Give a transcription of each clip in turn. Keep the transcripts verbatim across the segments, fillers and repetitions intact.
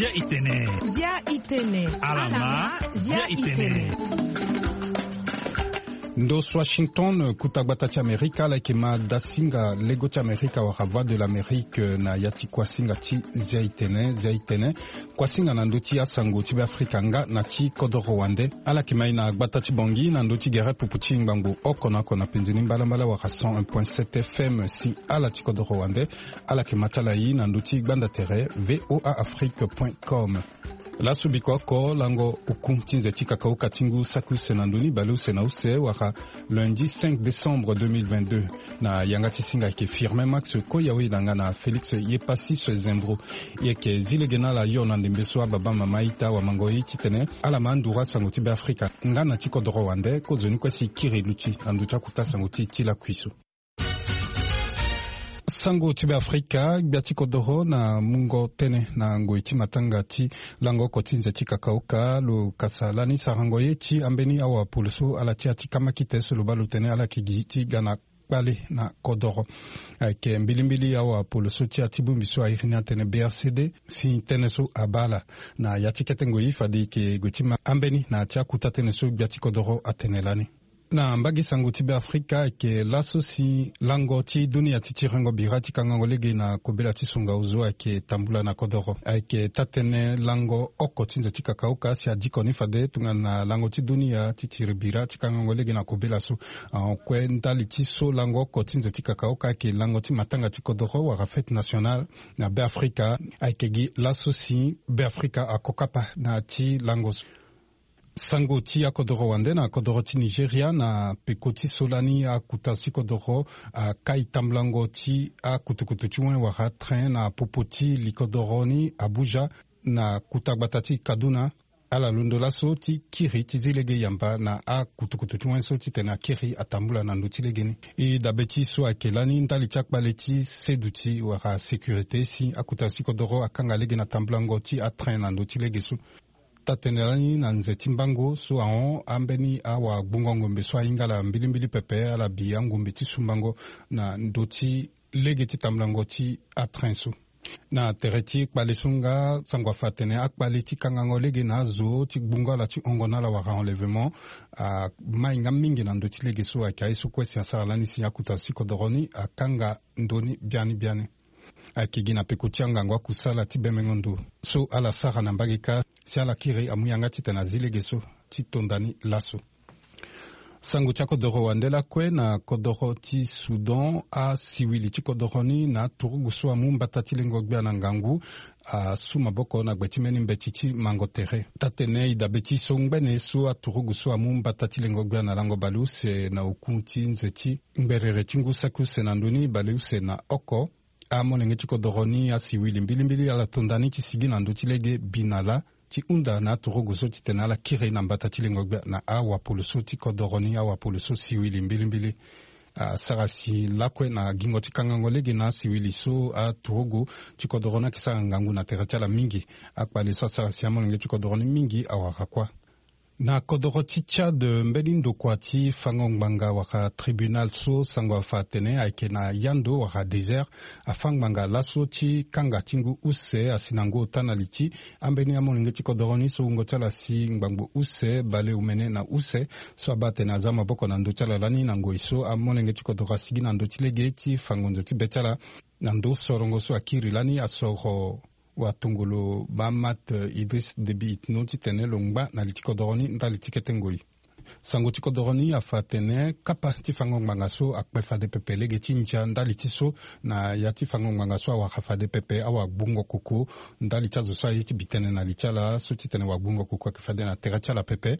Zia itene. Zia itene. Alama. Zia itene. Ndo so Washington, kuta gbata ti Amerika, ala yeke ma dasinga lego ti Amerika wala Voix de l'Amérique na ya ti kuasinga ti Zia itene. Zia itene, kuasinga na ndö ti asango ti Beafrika nga na ti kodoro wande. Ala yeke ma e na gbata ti Bangui na ndö ti gere pupu ti ngbangbo oko na oko na penze ni mbalambala wala cent un point sept F M. Si ala ti kodoro wande, ala yeke ma ti ala e na ndö ti gbanda tere V O A Afrique point com. Laso biko oko lango oku ti nze ti kakaoka ti ngu saki use na ndö ni bale use na use wala lundi cinq décembre deux mille vingt-deux. Na yanga ti singa ayeke Firmin Max Koyawe na nga na Félix Yepassis Zembro. E yeke zi lege na ala yo na ndembe so ababa mama ita wamango ye titene ala ma nduru asango ti Beafrika nga na ti kodoro wande. Kozoni kue si kiri luti na ndö ti akuta sango ti e ti lakui so. Sango ti Beafrika, gbia ti kodoro na mungo tënë na ngoi ti matanga ti lango oko ti nze ti kakaoka lo kasa lani sarango ye ti ambeni awapolo so ala ti ya ti kamakite so lo baa lo tene ala yeke gi ti ga na kpale na kodoro. Ayeke mbilimbili awapolo so ti ya ti bongbi so a iri ni atene B R C D si tënë so abaa ala. Na ya ti kete ngoi fade e yeke gue ti ma ambeni na ya ti akuta tënë so gbia ti kodoro atene lani. Na mbage sango ti Beafrika, ayeke laso si lango ti dunia ti tirengo bira ti kangango lege na kobela ti songa ozo ayeke tambula na kodoro. Ayeke taa-tënë lango oko ti nze ti kakaoka si adiko ni fade tongana lango ti dunia ti tiri bira ti kangango lege na kobela so. Ahon kue ndali ti so lango oko ti nze ti kakaoka ayeke lango ti matanga ti kodoro wala fête nationale na Beafrika. Ayeke gi laso si Beafrika ako kapa na ya ti lango so. Sango ti akodoro wande na kodoro ti Nigeria, na peko ti so lani akuta ti kodoro akai tambulango ti akutukutu ti wen wala train na popo ti li kodoro ni Abuja na kuta gbata ti Kaduna. Ala londo laso ti kiri ti zi lege yamba na akutukutu ti wen so titene akiri atambula na ndö ti lege ni. E dabe ti so ayeke lani ndali ti akpale ti seduti wala sécurité si akuta ti kodoro akanga lege na tambulango ti atrain na ndö ti lege so. Taa-tënë lani na nze ti mbango so ahon ambeni awagbungo ngombe so ahinga ala mbilimbili pepe ala bi angombe ti sumbango na ndö ti lege ti tambulango ti atrain so. Na tere ti kpale so nga sango afa atene akpale ti kangango lege na azo ti gbungo ala ti hongo na ala wala enlèvement amai nga mingi na ndö ti lege so. Ayeke aye so kue si asara lani si akuta ti kodoro ni akanga ndö ni biani biani. Ayeke gi na peko ti angangu akusala ti bemengo ndo so ala sara na mbage kâ si ala kiri amu yanga titene azi lege so ti tonda ni laso. Sango ti akodoro wande lakue na kodoro ti Soudan, asiwili ti kodoro ni na aturugu so amu mbata ti lengo gbia na ngangu asu maboko na gbe ti mbeni mbeti ti mango tere. Taa-tënë e dabe ti so ngbene so aturugu so amu mbata ti lengo gbia na lango baleuse na oku ti nze ti ngberere ti ngu saki use na ndö ni baleuse na oko. Amolenge ti kodoro ni asiwili mbilimbili ala tonda ni ti sigi na ndö ti lege bi na lâ ti hunda na aturugu so titene ala kiri na mbata ti lengo gbia na awapolo so ti kodoro ni, awapolo so siwili mbilimbili. Asara si lakue na gingo ti kangango lege na asiwili so aturugu ti kodoro ni ayeke sara ngangu na tere ti ala mingi. Akpale so asara si amolenge ti kodoro ni mingi awara kuâ. Na kodoro ti Tchad, mbeni ndokua ti fango ngbanga wala tribunal so sango afa atene ayeke na yando wala désert, afâ ngbanga laso ti kanga ti ngu use asi na ngu ota na li ti ambeni amolenge ti kodoro ni so wungo ti ala asi ngbangbo use baleomene na use, so abaa atene aza maboko na ndö ti ala lani na ngoi so amolenge ti kodoro asigi na ndö ti lege ti fa ngonzo ti be ti ala. Na ndö sorongo so akiri lani asoro watongolo Mahamat Idriss Déby Itno titene lo ngba na li ti kodoro ni ndali ti kete ngoi. Sango ti kodoro ni afa atene kapa ti fango ngbanga so akpe fade pepe lege ti ndia ndali ti so na ya ti fango ngbanga so awara fade pepe awagbungo koko ndali ti azo so aye ti bi tënë na li ti ala so titene wagbungo koko ayeke fade na tere ti ala pepe.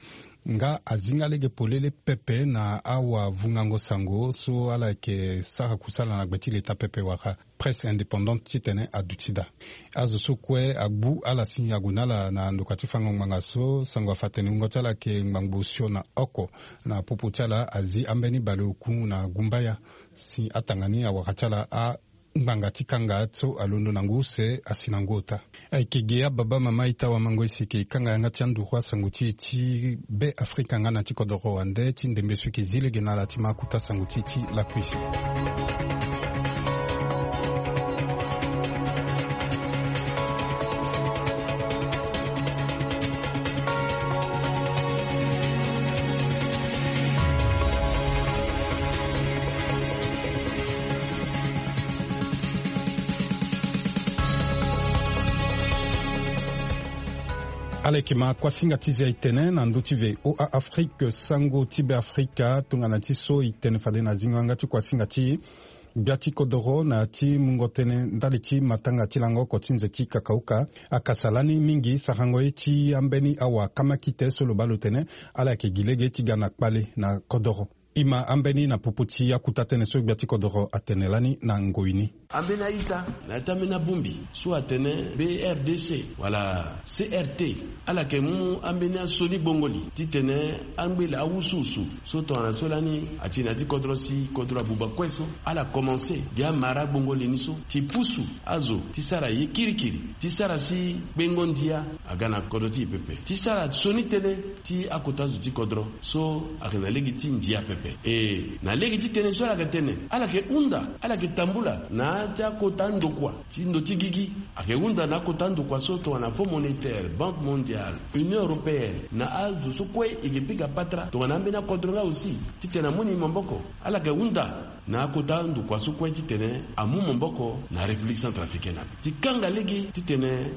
Nga azinga lege polele pepe na awavungango sango so ala yeke sara kusala na gbe ti leta pepe wala presse indépendante titene aduti daa. Azo so kue agbu ala si ague na ala na ndokua ti fango ngbanga so sango afa atene wungo ti ala ayeke ngbangbo osio na oko. Na popo ti ala azi ambeni baleoku na gumbaya si atanga ni awara ti ala a ngbanga ti kanga so alondo na ngu use asi na ngu ota. Ayeke ge ababa mama ita wamango ese eke kanga yanga ti anduru asango ti e ti Be Afrika nga na ti kodoro wande ti ndembe so eke zi lege na ala ti ma akuta sango ti e ti lakui so. Alekima kuasinga ti zia itene na ndö ti voa afrique sango ti be afrika tongana ti so itene fade na zingo yanga ti kuasinga ti gbia ti kodoro na ya ti mungo tënë ndali ti matanga ti lango oko ti nze ti kakauka akasa lani mingi sarango ye ti ambeni awa kamakite so lo baa lo tene ala yeke gi lege ti ga na kpale na kodoro. E ma ambeni na popo ti akuta tënë so gbia ti kodoro atene lani na ngoi ni. Ambeni a-ita na ya ti ambeni abongbi so atene brdc wala crt, ala yeke mu ambeni asioni gbongoli titene angbele awusuwusu so tongana so lani ati na ya ti kodro si kodro abuba kue so ala komanse gi amara gbongoli ni so ti pusu azo ti sara ye kirikiri ti sara si kpengo ndia aga na kodro ti e pepe ti sara sioni tënë ti akota zo ti kodro so ayeke na lege ti ndia pepe. E na lege ti tënë so ala yeke tene ala yeke hunda ala yeke tambula na ya ti akota ndokua ti ndo ti gigi. Ayeke hunda na akota ndokua so tongana fonds monétaire, banque mondiale, union européenne na azo so kue e yeke pika patara tongana ambeni akodro nga aussi titene amu ni maboko. Ala yeke hunda na akota ndokua so kue titene amu maboko na république centrafricaine ape ti kanga lege titene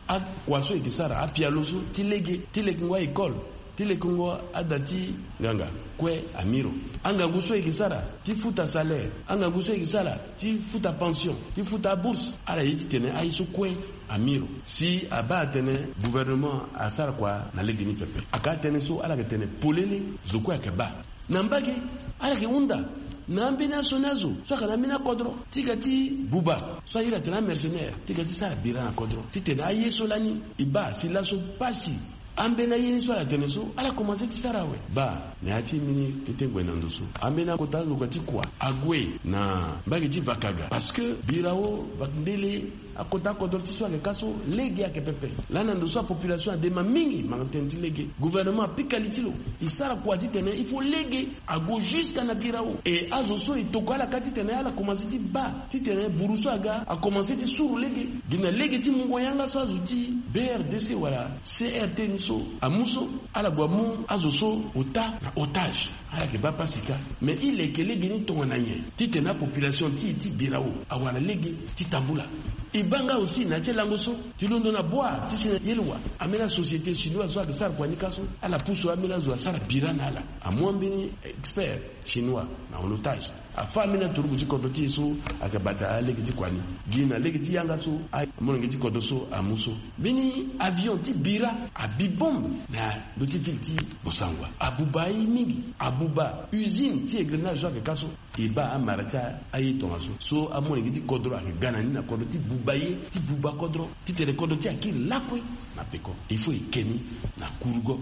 akua so e yeke sara apialo so ti lege ti lekengo a-école ti lekengo ada ti nganga kue amiro. Angangu so e yeke sara ti futa salaire, angangu so e yeke sara ti futa pension, ti futa abourse, ala ye titene aye so kue amiro. Si abaa atene gouvernement asara kua na lege ni pepe, aka atënë so ala yeke tene polele zo kue ayeke baa. Na mbage ala yeke hunda na ambeni asioni azo so ayeke na ambeni akodro ti ga ti buba so airi atene amercenaire ti ga ti sara bira na kodro titene aye so lani e baa si laso pasi. Ambeni aye ni so ala tene so ala komanse ti sara awe baa na ya ti mbeni kete ngue na ndo so ambeni akota azo kua ti kua ague na mbage ti vakaga parce que birao vakndele akota akodro ti so ayeke ka so lege ayeke pepe. Lani na ndo so apopulation adema mingi manga tënë ti lege gouvernement apika li ti lo e sara kua titene il faut lege ague jusque na birao e azo so e tokua ala ka titene ala komanse ti baa titene buru so aga akomanse ti suru lege. Gi na lege ti mungo yanga so azo ti brdc wala crt ni so amu so ala gue amu azo so ota na otage. Ala yeke baa pasi kâ mais e leke lege ni tongana nyen titene apopulation ti e ti birao awara lege ti tambula. E baa nga aussi na ya ti lango so ti londo na bua ti si na yelwa ambeni asociété chinoise so ayeke sara kua ni ka so ala pusu ambeni azo asara bira na ala amu ambeni expert chinois na en otage. Afa ambeni aturuku ti kodro ti e so ayeke bata alege ti kua ni. Gi na lege ti yanga so amolenge ti kodro so amu so mbeni avion ti bira abi bombe na ndö ti ville ti bosangua abuba aye mingi abuba usine ti engrenage so ayeke ka so. E baa amara ti aye tongaso so amolenge ti kodro ayeke ga na ni na kodro ti buba ye ti buba kodro titene kodro ti e akiri lakue na peko. Il faut e ke ni na kurugo.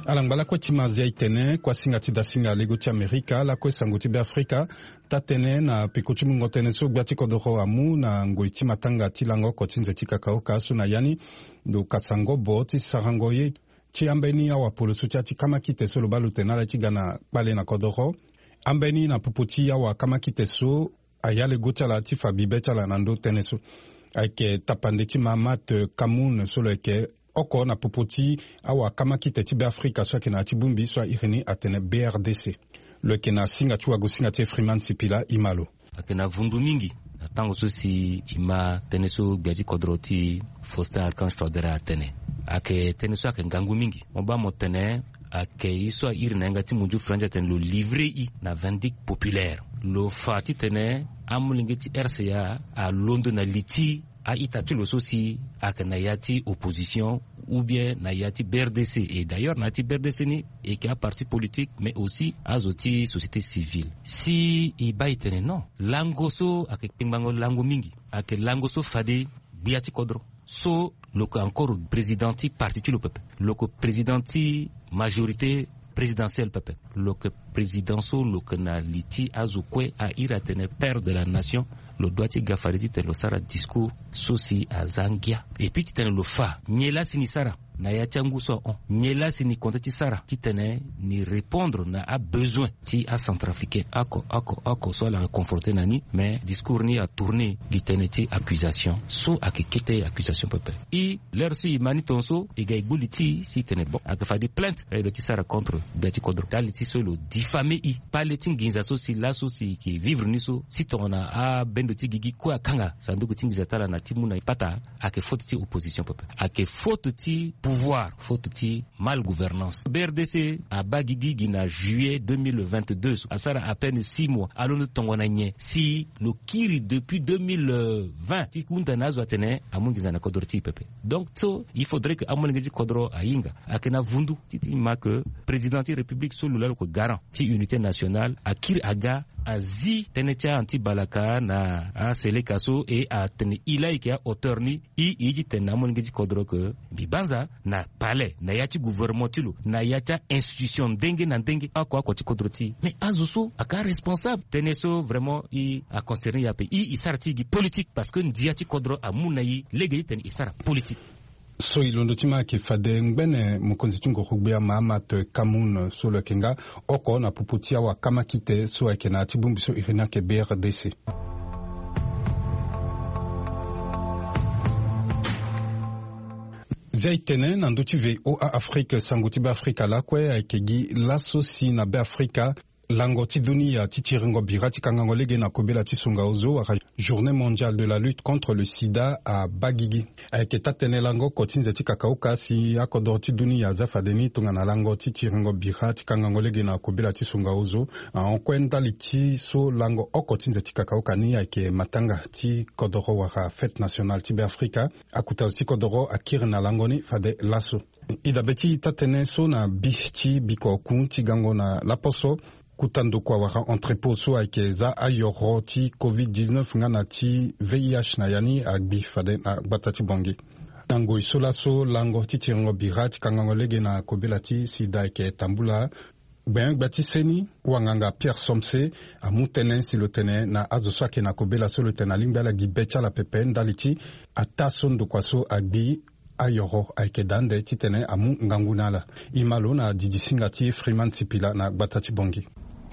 Ala ngba lakue ti ma zia e tene kuasinga ti dasinga lego ti amerika lakue sango ti beafrika taa-tënë na peko ti mungo tënë so gbia ti kodoro amu na ngoi ti matanga ti lango oko ti nze ti kakaoka so na ya ni lo kasa ngobo ti sarango ye ti ambeni awapolo so ti ya ti kamakite so lo baa lo tene ala ye ti ga na kpale na kodoro. Ambeni na popo ti awa kamakite so aya lego ti ala ti fa bibe ti ala na ndö tënë so ayeke tapande ti mahamat kamoun so lo yeke oko na popo ti awa kamakite ti beafrika so ayeke na ya ti bongbi so airi ni atene brdc. Lo yeke na singa ti wagosinga ti efriman sipila ima lo. Ayeke na vundu mingi na tango so si e ma tënë so gbia ti kodro ti faustin archange toader atene. Ayeke tënë so ayeke ngangu mingi mo baa mo tene ayeke ye so airi na yanga ti mondio frandi atene lo livre e na vindique populaire. Lo fa titene amolenge ti rca alondo na li ti a-ita ti lo so si ayeke na ya ti opposition ou bien na ya ti brdc. Et d'ailleurs na ya ti brdc ni e yeke aparti politique mais aussi azo ti société civile si e baa e tene non lango so ayeke kpengbango lango mingi. Ayeke lango so fade gbia ti kodro so lo yeke encore président ti parti ti lo pepe. Lo yeke président ti majorité présidentielle pepe. Lo yeke président so lo yeke na li ti azo kue airi atene père de la nation. Lo dua ti ga fade titene lo sara discours so si aza ngia et puis titene lo fa nyen laa si ni sara. na ya ti angu so ahon. Nyen laa si ni compte ti sara titene ni répondre na abesoin ti acentrafricain oko oko oko so ala confronté na ni. Mais discours ni atourné gi tënë ti accusation so ayeke kete accusation pepe. E l'heure so e ma ni tongaso e ga e gbu li ti e si e tene bon, ayeke fade plainte aye lo ti sara contre gbia ti kodro ndali ti so lo diffamé e. Kpale ti nginza so si laso si e yeke vivre ni so si tongana abendo ti gigi kue akanga sanduku ti nginza ti ala na ti mu na e pata. Ayeke faute ti opposition pepe, ayeke faute ti pouvoir, faute ti mal gouvernance. B R D C abaa gigi gi na juillet deux mille vingt-deux, asara à peine six mois, alondo tongana nyen si lo kiri depuis deux mille vingt ti hunda na azo atene amu nginza na kodro ti e pepe. Donc so il faudrait que amolenge ti kodro ahinga. Ayeke na vundu ti ti ma ke président ti république so lo laa lo yeke garant ti unité nationale akiri aga, azi tënë ti a-anti balaka na aseleka so e atene e laa e yeke ahauteur ni. E e ye ti tene na amolenge ti kodro ke mbi banza na palais, na ya ti gouvernement ti lo, na ya ti a-institution ndenge na ndenge, oko oko ti kodro ti e. Mais azo so ayeke aresponsable. Tënë so vraiment e aconcerné e ape. E e sara ti e gi politique parce que ndia ti kodro amu na e lege ti tene e sara politique. So e londo ti ma ayeke fade ngbene mokonzi ti ngorogbia Mahamat Kamoun so lo yeke nga oko na popo ti awakamakite so ayeke na ya ti bongbi so iri ni ayeke B R D C. Zia e tene na ndö ti V O A Afrique, sango ti Beafrika lakue ayeke gi laso si na Beafrika lango ti dunia ti tiringo bira ti kangango lege na kobela ti songa ozo wala Journée mondiale de la lutte contre le sida abaa gigi. Ayeke taa-tënë lango oko ti nze ti kakaoka si akodoro ti dunia aza fade ni tongana lango ti tiringo bira ti kangango lege na kobela ti songa ozo ahon kue ndali ti so lango oko ti nze ti kakaoka ni ayeke matanga ti kodoro wala fête nationale ti Beafrika. Akota zo ti kodoro akiri na lango ni fade laso. E dabe ti taa-tënë so na bi ti bikua oku ti gango na laposo, kota ndokua wala entrepôt so ayeke za ayoro ti covid dix-neuf nga na ti V I H na ya ni agbi fade na gbata ti Bangui. Na ngoi so laso lango ti tiringo bira ti kangango lege na kobela ti sida ayeke tambula. Gbenyo-gbia ti seni, wanganga Pierre Somse, amu tënë si lo tene na azo so ayeke na kobela so lo tene alingbi ala gi be ti ala pepe ndali ti ataa so ndokua so agbi ayoro ayeke daa ande titene amu ngangu na ala. E ma lo na didi singa ti Freeman Sipila na gbata ti Bangui.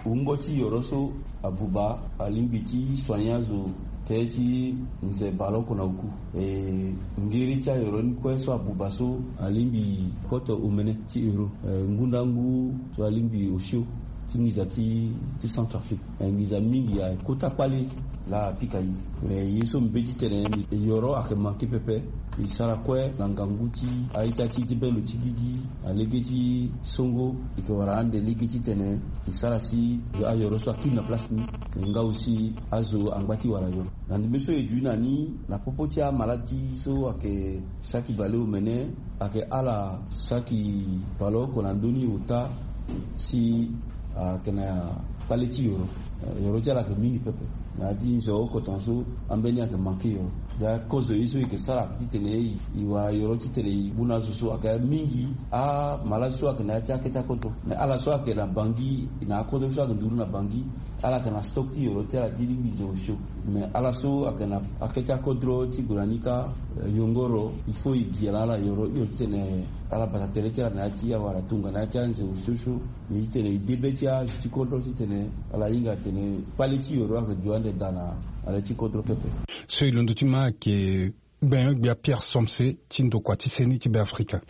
Wungo ti yoro so abuba alingbi ti soigner azo te ti nze baleoko na oku. E ngiri ti ayoro ni kue so abuba so alingbi koto omene ti euro. E ngundangu so alingbi osio ti nginza ti, ti Centrafrique. E nginza mingi ayeke kota kpale laa apika e. Me ye so mbi be ti tene, yoro ayeke manke pepe. E sara kue na ngangu ti a-ita ti, ti bendo ti gigi, alege ti songo, e yeke wara ande lege titene e sara si ayoro so akiri na place ni. Me nga aussi azo angba ti wara yoro. Na ndembe so e dui na ni na popo ti amaladi so ayeke saki baleomene, ayeke ala saki baleoko na ndö ni ota si ayeke na kpale ti yoro. Yoro ti ala ayeke mingi pepe. Na ya ti nze oko tongaso ambeni ayeke manke yoro. Ya kozo ye so e yeke sara ayeke titene e wara yoro titene e mu na azo so ayeke mingi amaladi so ayeke na ya ti akete akodro. Me ala so ayeke na Bangui, na akodro so ayeke nduru na Bangui, ala yeke na stock ti yoro ti ala ti lingbi zo osio. Me ala so ayeke na akete akodro ti gue na ni kâ, eh, yongoro, il faut e gi na ala yoro hio titene ala bata tere ti ala na ya ti awara tongana ya ti anze osio so. Ni titene e de be ti azo ti kodro titene ala hinga atene kpale ti yoro ayeke duti ande daa na ala ti kodro pepe. So e londo ti ma ayeke gbenyo-gbia Pierre Somse ti ndokua ti seni ti Beafrika.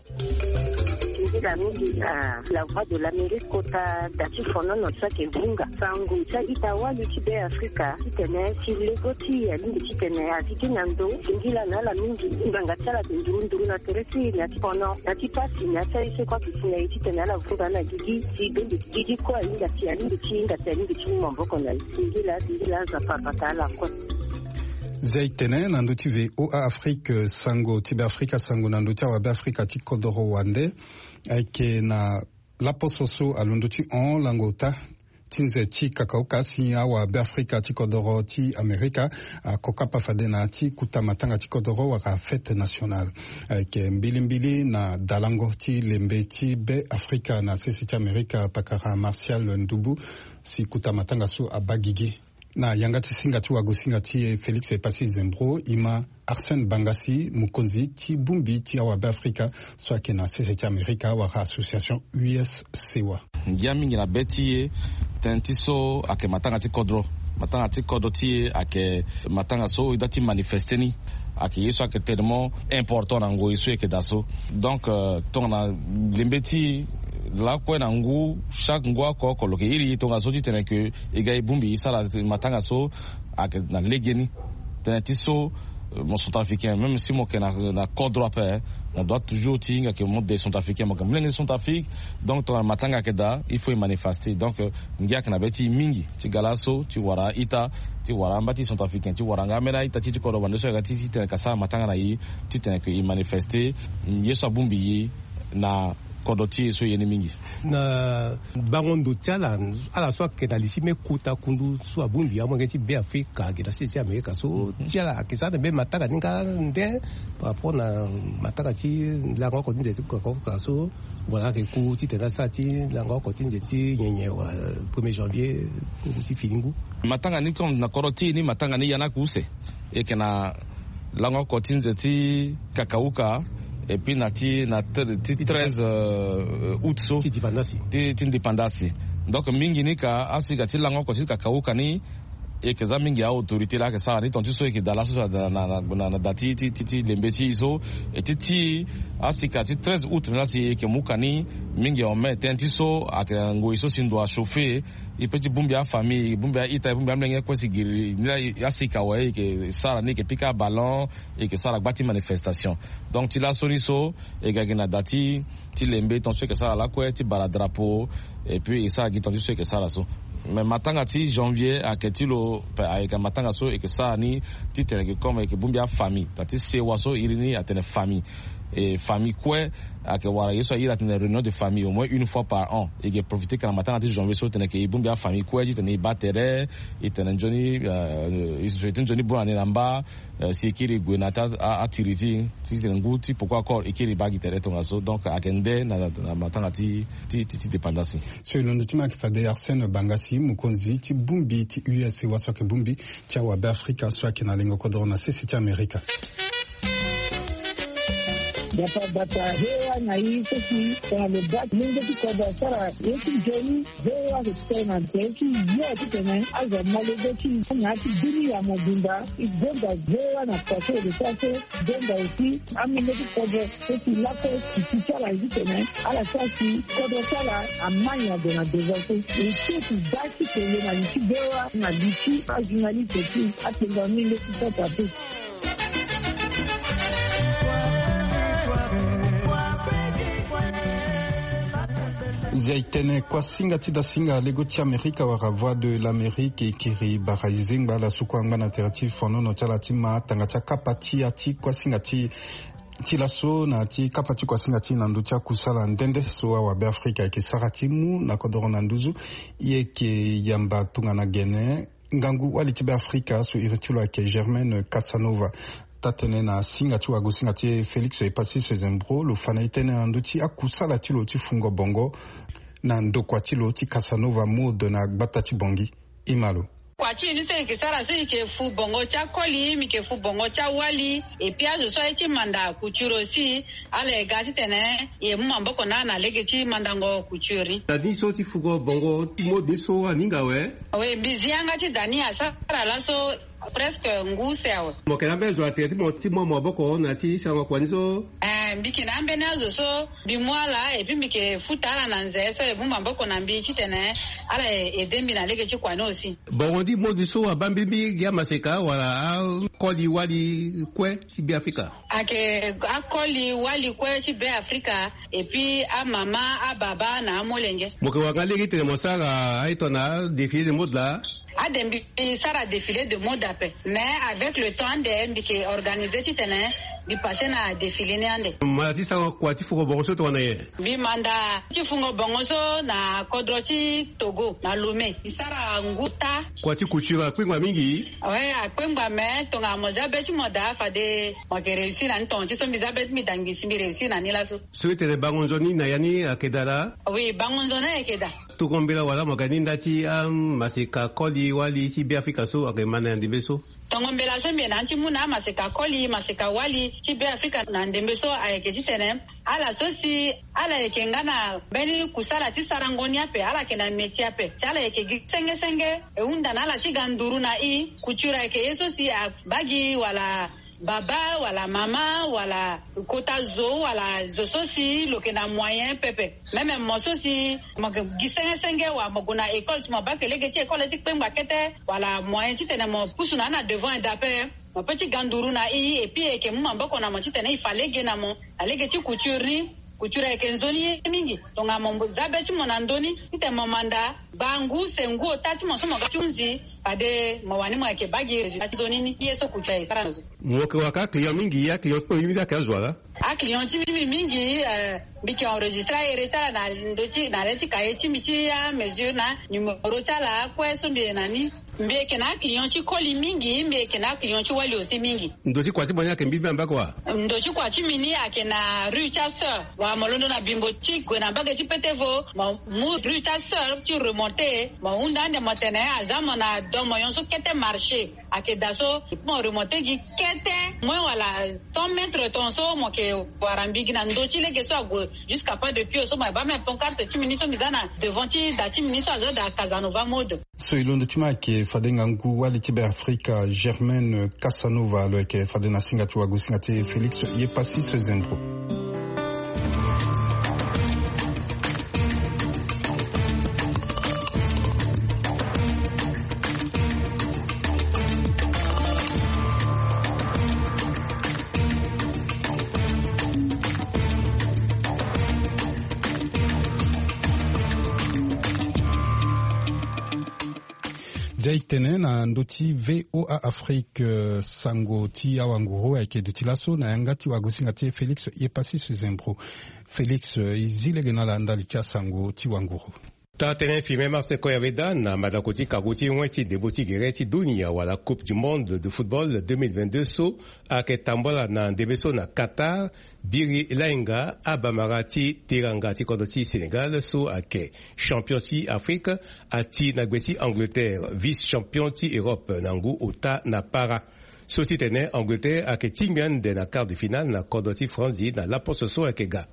Nzila mingi na La Voix de l'Amérique kota da ti fonono so ayeke vunga sango ti a-ita wali ti Beafrika titene ti lego ti e alingbi titene a zi gi na ndo. Singila na ala mingi ngbanga ti ala ayeke nduru nduru na tere ti e na ya ti fono, na ya ti pasi, na ya ti aye so kue ayeke si na e titene ala vunga na gigi. Si bendo ti gigi kue ahinga si alingbi ti hinga si alingbi ti mu maboko na e. Singila, singila, Nzapa abata ala kue. Zia e tene na ndö ti V O A Afrique, sango ti Beafrika, sango na ndö ti awabeafrika ti kodoro wande. Ayeke na laposo so alondo ti hon lango ota ti nze ti kakaoka si awabeafrika ti kodoro ti Amerika ako kapa fade na ya ti kota matanga ti kodoro wala fête nationale. Ayeke mbilimbili na dalango ti lembe ti Beafrika na sese ti Amerika, pakara Martial Ndubu, si kota matanga so abaa gigi. Na yanga ti singa ti wagosinga ti e Félix Epassi Zembro, e ma Arsène Bangassi, mokonzi ti bongbi ti awabe afrika so ayeke na sese ti amerika wala association U S C wa. Ngia mingi na be ti e, tënë ti so ayeke matanga ti kodro. Matanga ti kodro ti e ayeke matanga so e dä ti manifeste ni. Ayeke ye so ayeke tellement important na ngoi so e yeke daa so. Donc, euh, tongana lembe ti e lakue na ngu, chaque ngu oko oko lo yeke iri e tongaso titene ke e ga e bongbi e sara matanga so ayeke na legeni. Tënë ti so, euh, mo centrafricain, même si mo yeke na, na kodro ape, mo doit toujours ti hinga ke mo de centrafricain, mo yeke molenge ti Centrafrique. Donc tongana matanga ayeke daa, il faut e manifeste. Donc, euh, ngia ayeke na be ti e mingi ti ga laso ti wara a-ita, ti wara amba ti centrafricain, ti wara nga ambeni a-ita ti e ti kodro, bande so ayeke ga ti, titene ka sara matanga na e, titene ke e manifeste ye so abongbi e na kodro ti e so e ye ni mingi. Na bango ndo ti ala, ala so ayeke na li ti me kota kundu so abongbi amolenge ti Beafrika ayeke na sese ti Amerika so, ti ala ayeke sara na mbeni matanga ni nga nde par rapport na matanga ti lango oko ti nze ti kokoko so, wala ayeke ku titene asara ti lango oko ti nze ti nyenye wala premier janvier ngu ti fini ngu. Matanga ni comme na kodro ti e ni, matanga ni ya ni ayeke use. E yeke na lango oko ti nze ti kakauka, et puis na ti, na ti treize, euh, août so ti dipandasi, ti, ti dipandasi. Donc mingi ni ka asika ti lango oko ti kakauka ni e yeke za mingi a-autorité laa ayeke sara ni, tonga ti so e yeke daa laso na, na, na, na da ti, ti, ti, ti lembe ti e so. E ti, ti asika ti treize août ni laa si e yeke mu ka ni mingi en mai, tënë ti so ayeke na ngoi so si ndo achauffer. E peut ti bongbi afamille, e bongbi a-ita, e bongbi amolenge kue si giri ni laa, e, asika awe e yeke sara ni, e yeke pika aballon, e yeke sara gba ti manifestation. Donc ti laso ni so e ga gi na da ti, ti lembe tonga so e yeke sara lakue ti bara drapeau, et puis e sara gi tonga ti so e yeke sara so. Mais matanga ti janvier ayeke ti lo pe, ayeke matanga so e yeke sara ni titene ke comme e yeke bongbi afamille, tongana ti sewa so iri ni atene famille. E famille kue ayeke wara ye so a iri atene réunion de famille au moins une fois par an. E yeke profiter ka na matanga ti janvier so tene ke e bongbi afamille kue titene e baa tere, e tene nzoni, euh, e souhaiter nzoni bonne année na mba, euh, si e kiri e gue na ya ti a, a, atiri ti e, titene ngu ti poko akol e kiri e baa gi tere tongaso. Donc ayeke nde na, na matanga ti, ti, ti, ti dépendance. So e londo ti ma ayeke fade Arsène Bangassi, mokonzi ti bongbi ti U S C wa so ayeke bongbi ti awabe afrika so ayeke na lengo kodoro na sese ti amerika. Bata bata, he wa na i so si tongana lo baa ti mungo ti kodro asara ye ti nzoni, he wa ayeke tene na tere ti yo titene azo amolenge ti i na ya ti bini ya mobimba. E gonda he wa na kua so e lo sara so, e gonda aussi amolenge ti kodro so si lakue si ti ti ala ye titene ala sara si kodro ti ala ama nyango na devant so. E so si baa ti tene na li ti he wa na li ti ajournaliste ti atengo amolenge ti kodro ape. Zia e tene kuasinga ti dasinga lego ti amerika wala Voix de l'Amérique e kiri bara e zengba ala so kue angba na tere ti fonono ti ala ti ma tanga ti akapa ti ya ti kuasinga ti, ti laso na ti kapa ti kuasinga ti na ndö ti akusala nde nde so awabe afrika ayeke sara ti mu na kodoro na nduzu. E yeke yamba tongana gene ngangu wali ti Beafrika so iri ti lo ayeke Germaine Casanova. Taa-tënë na singa ti wagosinga ti e Félix Epassi Sezembro lo fa na e tënë na ndö ti akusala ti lo ti fungo bongo na ndokua ti lo ti Casanova Mode na gbata ti Bangui. E ma lo. Kua ti e ni so e yeke sara so e yeke fu bongo ti akoli, mbi yeke fu bongo ti awali, et puis azo so aye ti manda couture aussi. Ala ye ga titene e mu maboko na ala na lege ti mandango couture ni. Da ni so ti fugo bongo ti mode ni so aninga awe. Awe, mbi zi yanga ti da ni asara laso presque ngu use awe. Mo yeke na ambeni zo na tere ti mo ti mu maboko na ya ti sarango kua ni so? Eh, mbi yeke na ambeni azo so mbi mu ala et puis mbi yeke futa ala na nze so e mu maboko na mbi titene ala e aide mbi na lege ti kua ni aussi. Bongo ni mode so abaa mbirimbiri gi amaseka wala akoli wali kue ti Beafrika? Ayeke akoli wali kue ti Beafrika, et puis amama, ababa na amolenge. Mo yeke wara nga lege titene mo sara aye tongana défilé de mode laa? Ade mbi sara défilé de mode ape, mais avec le temps ande mbi yeke organisé titene mbi passé na défilé ni ande. Mo manda ti sara kua ti fugo bongo so tongana nyen? Mbi manda ti fungo bongo so na kodro ti Togo na Lomé. Mbi sara ngu taa. Kua ti couture akpengba mingi? Oui, akpengba, mais tongana mo zia be ti mo daa fade mo yeke réussir na ni. Tonga ti so mbi zia be ti mbi daa ngbisi mbi réussir na ni laso. So e tene bango nzoni na ya ni ayeke daa laa? Oui, bango nzoni ayeke daa. Tongo mbela wala mo yeke ni nda ti amaseka koli wali ti Beafrika so ayeke ma na ya ndembe so? Tongo mbela so mbi yeke na ya ti mu na amaseka koli maseka wali ti Beafrika na ndembe so ayeke titene ala so si ala yeke nga na mbeni kusala ti sarango ni ape, ala yeke na meti ape si ala yeke gi senge senge. E hunda na ala ti ga nduru na i. Couture ayeke ye so si abaa gi wala baba wala mama wala kota zo wala zo so si lo yeke na moyen pepe. Même mo so si mo yeke gi senge senge wala mo gue na école ti mo baa eke lege ti école ti kpengba kete wala moyen titene mo pusu na ni na devant eda ape, mo peut ti ga nduru na i. Et puis e yeke mu maboko na mo titene e fa lege na mo na lege ti couture ni. Couture ayeke nzoni ye mingi. Tongana mo za be ti mo na ndö ni titene mo manda gba ngu use ngu ota ti mo so mo ga ti hunzi, fade mo wani mo yeke baa gi résultat ti nzoni ni. Ye so couture ayeke sara na zo. Mo yeke wara ka aclient mingi, aclient ti mbi mingi ayeke azo wala? Aclient ti mbi mingi, eh, mbi yeke enregistré ahere ti ala na ndö ti na le ti kaye ti mbi ti amesure na numéro ti ala akue so mbi yeke na ni. Mbi yeke na aclient ti koli mingi, mbi yeke na aclient ti wali aussi mingi. Ndo ti kua ti mo ni ayeke mbi mbi ambako wa? Ndo ti kua ti mbi ni ayeke na rue ti asœur. Wala mo londo na bimbo ti gue na mbage ti petevo, mo mu rue ti asœur ti remonté, mo hunda ande mo tene aza mo na do moyon so kete marché. Ayeke daa so mo remonté gi kete moins wala cent mètres ton so mo yeke wara mbi gi na ndo ti lege so ague jusqu'à pas de pied so mo yeke baa même pancarte ti mbi ni so mbi za na devant ti da ti mbi ni so aza daa Casanova mode. So e londo ti ma ayeke fade ngangu wali ti Beafrika Germaine Casanova, lo yeke fade na singa ti wagosinga ti e Félix Yepassis Zembro. Zia e tene na ndö ti V O A Afrique, eh, sango ti awanguru ayeke duti laso na yanga ti wagosinga ti e Félix Yepassis Zembro. Félix, eh, e zi lege na ala ndali ti asango ti wanguru. Taa tënë Firmin Marcel Koyaveda na mandako ti kango ti wen ti ndembo ti gere ti dunia wala Coupe du Monde de football deux mille vingt-deux so ayeke tambula na ndembe so na Qatar, biri lainga abamara ti teranga ti kodro ti Sénégal so ayeke champion ti Afrique ati na gbe ti Angleterre, vice champion ti Europe na ngu ota na para. So ti tene Angleterre ayeke tingbi ande na quart de finale na kodro ti Franzi na laposo so ayeke ga.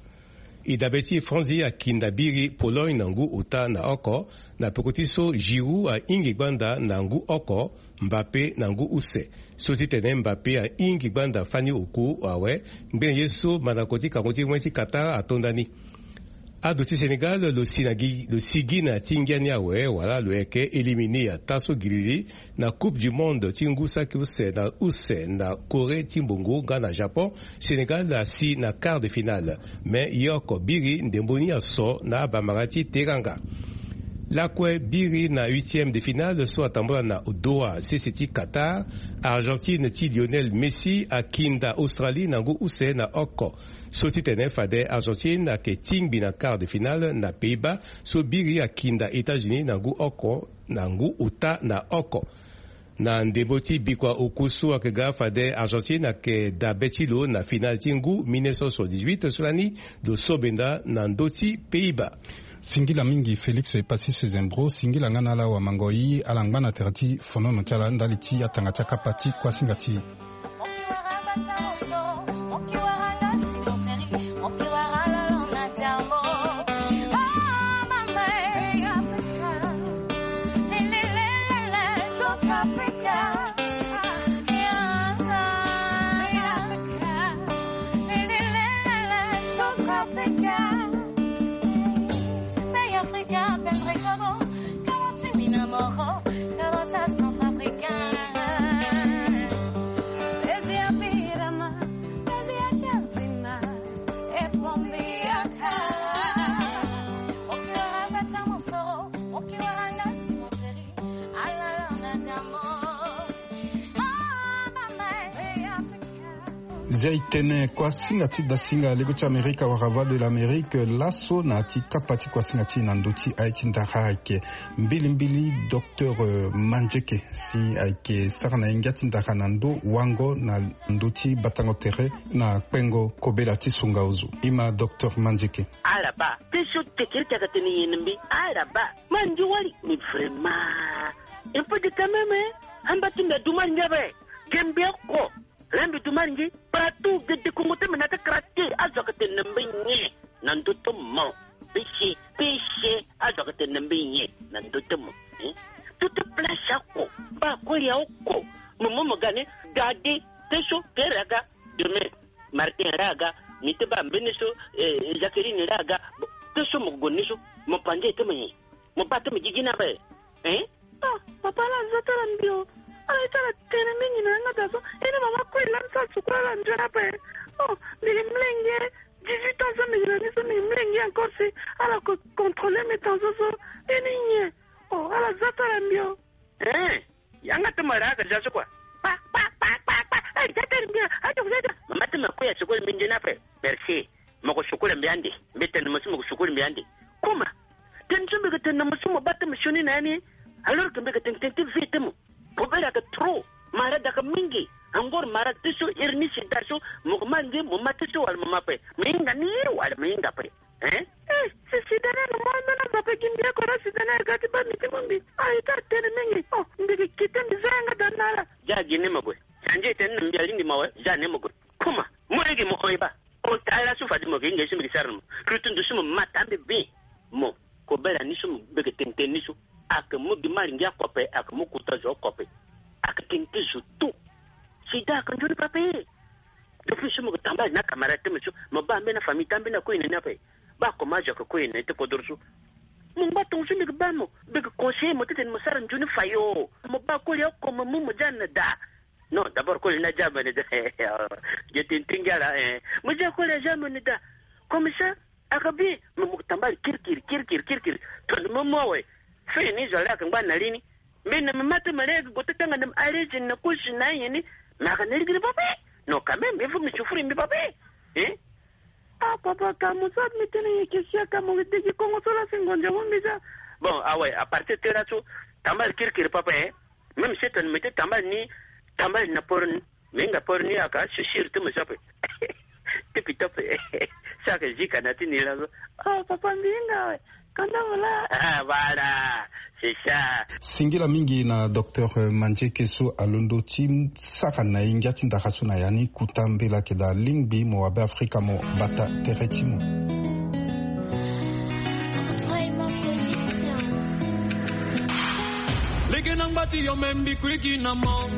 E dabe ti Franzi akinda biri Pologne na ngu ota na oko, na peko ti so Giroud ahingi gbanda na ngu oko, Mbappé na ngu use. So ti tene Mbappé ahingi gbanda fani oku awe, ngbene ye so mandako ti kango ti wen ti Qatar atonda ni. Ado ti Sénégal lo si na gi, lo si gi na ti ngia ni awe wala lo yeke éliminé ataa so giriri na Coupe du Monde ti ngu saki use na use na Corée ti mbongo nga na Japon. Sénégal asi na quart de finale, me ye oko biri ndembo ni aso na abamara ti teranga. Lakue biri na huitième de finale so atambula na Doha, sese ti Qatar, Argentine ti Lionel Messi akinda Australie na ngu use na oko. So ti tene fade Argentine ayeke tingbi na quart de finale na Pays-Bas, so biri akinda États-Unis na ngu oko na ngu ota na oko. Na ndembo ti bikua oku so ayeke ga fade Argentine ayeke dabe ti lo na finale ti ngu mille neuf cent soixante-dix-huit so lani lo so benda na ndö ti Pays-Bas. Singila mingi Félix Yepassis Zembro, singila nga na ala wamango-i, ala ngba na tere ti fonono ti ala ndali ti atanga ti akapa ti kuasinga ti e. Zia e tene kuasinga ti dasinga lego ti Amerika wala Voix de l'Amérique laso na ya ti kapa ti kuasinga ti e na ndö ti aye ti ndara ayeke mbilimbili docteur, euh, Mandieke si ayeke sara na ye ngia ti ndara na ndö wango na ndö ti batango tere na kpengo kobela ti sunga ozo. Ima docteur Mandieke. Ala baa ti so tekiri ti ayeke tene nyen na mbi. Ala baa ma ndio wali. Mais vraiment il faut dire quand même, hein, amba ti mbi adu mari ngia be. Ge mbi oko. Laa mbi du mari ngi partout gede kongo ti mbi na ti karate azo ayeke tene na mbi nyen na ndö ti mo. Pese pese azo ayeke tene na mbi nyen na ndö ti mo. Hein? Tout ti place oko. Baa kue ya oko. Mo mo mo ga ni. Gade. Te so kere aga. Demain Martin laa aga. Mi ti baa mbeni so, eh, Jacqueline laa aga. Bon, te so mo gue ni so mo panze ti mo nyen? Mo baa ti mo gigi ni ape. Hein? Ah, papa, ala za ti ala mbi o. Ala ye ti ala tene mingi na yanga daa so. Eni mama kue laa ni so ala sukula ala nzoni ape. Oh, mbi gi mlenge. Dix-huit ans so mbi gi na ni so mbi gi mlenge encore si ala ko contrôler mbi tension so. Eni nyen? Oh, ala za ti ala mbi o. Hein? Yanga ti mo laa aga za so kua. Pa pa pa pa pa. Ala za ti ala mbi o. Ayo, ayo. Mama ti mo kue asukula mbi nzoni ape. Merci. Mo ko sukula mbi ande. Mbi tene mo so mo ko sukula mbi ande. Kuma. Tene so mbi yeke tene na mo so mo baa ti mo sioni na ya ni. Alors que mbi yeke tene tene ti vie ti mo. Kobela ayeke trop. Malade ayeke mingi. Angor malade ti so iri ni sida so. Mo yeke ma ngi mo ma ti so wala mo ma ape. Mo hinga ni wala mo hinga ape. Hein? Eh, si sida ni ayeke mo ambeni azo ape gi mbi oko laa sida ni ayeke ga ti baa mbi ti mu mbi. Aye ti atene mingi. Oh, mbi yeke kite mbi za yanga daa na ala. Za gi ni mo gue. Sanzi e tene na mbi alingbi mo awe. Za ni mo gue. Kuma. Mo lege mo hon e baa. Ota laso fade mo yeke hinga ye so mbi yeke sara na mo. Kiri ti ndo so mo ma taa mbi bien. Mo kobela ni so mo beke tene tene ni so. Ayeke mu gi mari ngia kope, ayeke mu kuta zo kope. Ayeke tene ti zo tout. Sida ayeke nzoni pape. Depuis so mo yeke tambala na camarade ti mo so mo baa mbeni afamille ti ambeni akue na ni ape. Baa comment azo ayeke kue na ni ti kodoro so. Mo ngba tongo so mbi yeke baa mo. Mbi yeke conseiller mo titene mo sara nzoni fayo. Mo baa koli oko mo mu mo za na daa. Non, d'abord koli ni aza mo na daa. Ge tene ti ngia laa, eh. Mo za koli aza mo na daa. Comme ça ayeke bien. Mais mo tambali kirikiri kirikiri kirikiri. Tongana mo mu awe. Fini zo laa ayeke ngba na li ni. Mbi na mbi ma ti mo laa ayeke gue ti tanga na mbi arrêt na kosi na ayen ni. Mais ayeke na lingiri pape. Non, quand même il faut mbi souffrir mbi pape. Hein? Ah papa, ka mo so mbi tene ye ke sia ka mo degi kongo so laa si ngonzo mo mbi za. Bon, awe, à partir ti laso tambali kirikiri pape, hein. Même si tene mbi ti tambali ni, tambali na poro ni. Mbi hinga poro ni aka, si siri ti mo so ape. Ti pito ape. So ayeke zika na ti ni laso. Oh papa, mbi hinga awe. Kanda mo laa. Ah, voilà. C'est ça. Singila mingi na docteur, euh, Mandieke so alondo ti sara na ye ngia ti ndara so na ya ni kuta mbela ayeke daa lingbi mo wa be Afrika mo bata tere ti mo. Lege na ngba ti yo me mbi kuigi na mo.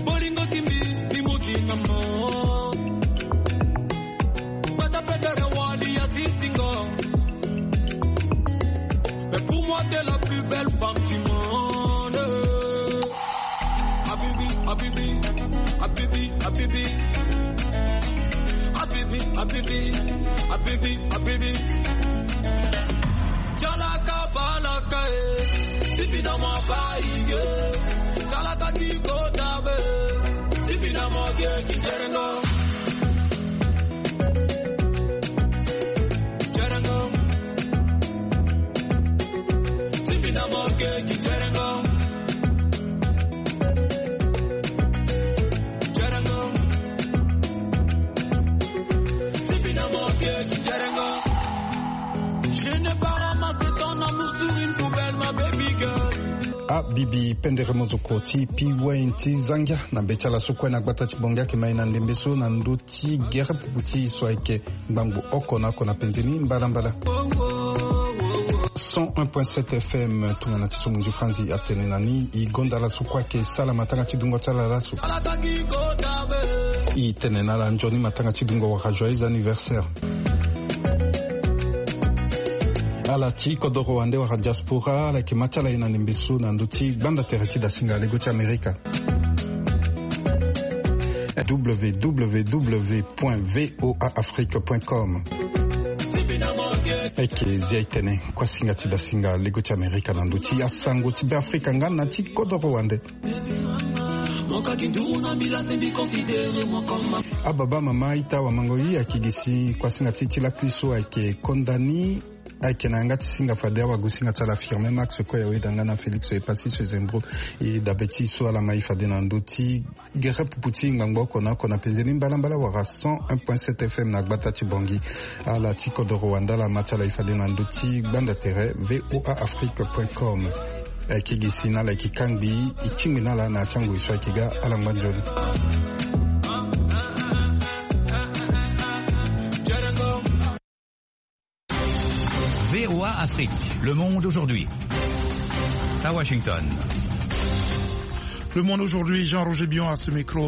Bolingo ti mbi mbi mugi na mo. Bata petere wali ya sisingo. Mais pour moi t'es la plus belle femme du monde. Habibi, habibi, habibi, habibi. Habibi, habibi, habibi, habibi. Jalaka balaka, eh. Sibi na mo bayi, eh. Jalaka ti kota be. Sibi na mo ge ki jerengo. Jerengo. Sibi na mo ge ki jerengo. Abibi pendere mozoko ti P-Wayne ti zangia na be ti ala so kue na gbata ti bongi ayeke ma e na ndembe so na ndö ti gere pupu ti e so ayeke ngbangbo oko na oko na penze ni mbalambala. Cent un point sept F M tongana ti so mo nzi franzi atene na ni e gonda laso kue ayeke sala matanga ti dungo ti ala laso. E tene na ala nzoni matanga ti dungo wala joyeux anniversaire. Ala ti kodoro wande wala diaspora ala yeke ma ti ala ye na ndembe so na ndö ti gbanda tere ti dasinga lego ti Amerika. W W W point V O A Afrique point com. Eke zia e tene kuasinga ti dasinga lego ti Amerika na ndö ti asango ti Be Afrika nga na ti kodoro wande. Ababa mama ita wamango i ayeke gi si kuasinga ti ti lakui so ayeke konda ni. Ayeke na yanga ti singa fade awagosinga ti ala Firme Max kue ya weda nga na Félix Epassi so ezembro. E dabe ti so ala ma e fade na ndö ti gere pupu ti ngbangbo oko na oko na penze ni mbalambala wala cent un point sept F M na gbata ti Bangui. Ala ti kodoro wanda ala ma ti ala e fade na ndö ti gbanda tere V O A Afrique point com. Ayeke gi si na ala yeke kangbi e tingbi na ala na ya ti angoi so ayeke ga ala ngba nzoni. V O A Afrique, le monde aujourd'hui. À Washington. Le monde aujourd'hui, Jean-Roger Bion à ce micro.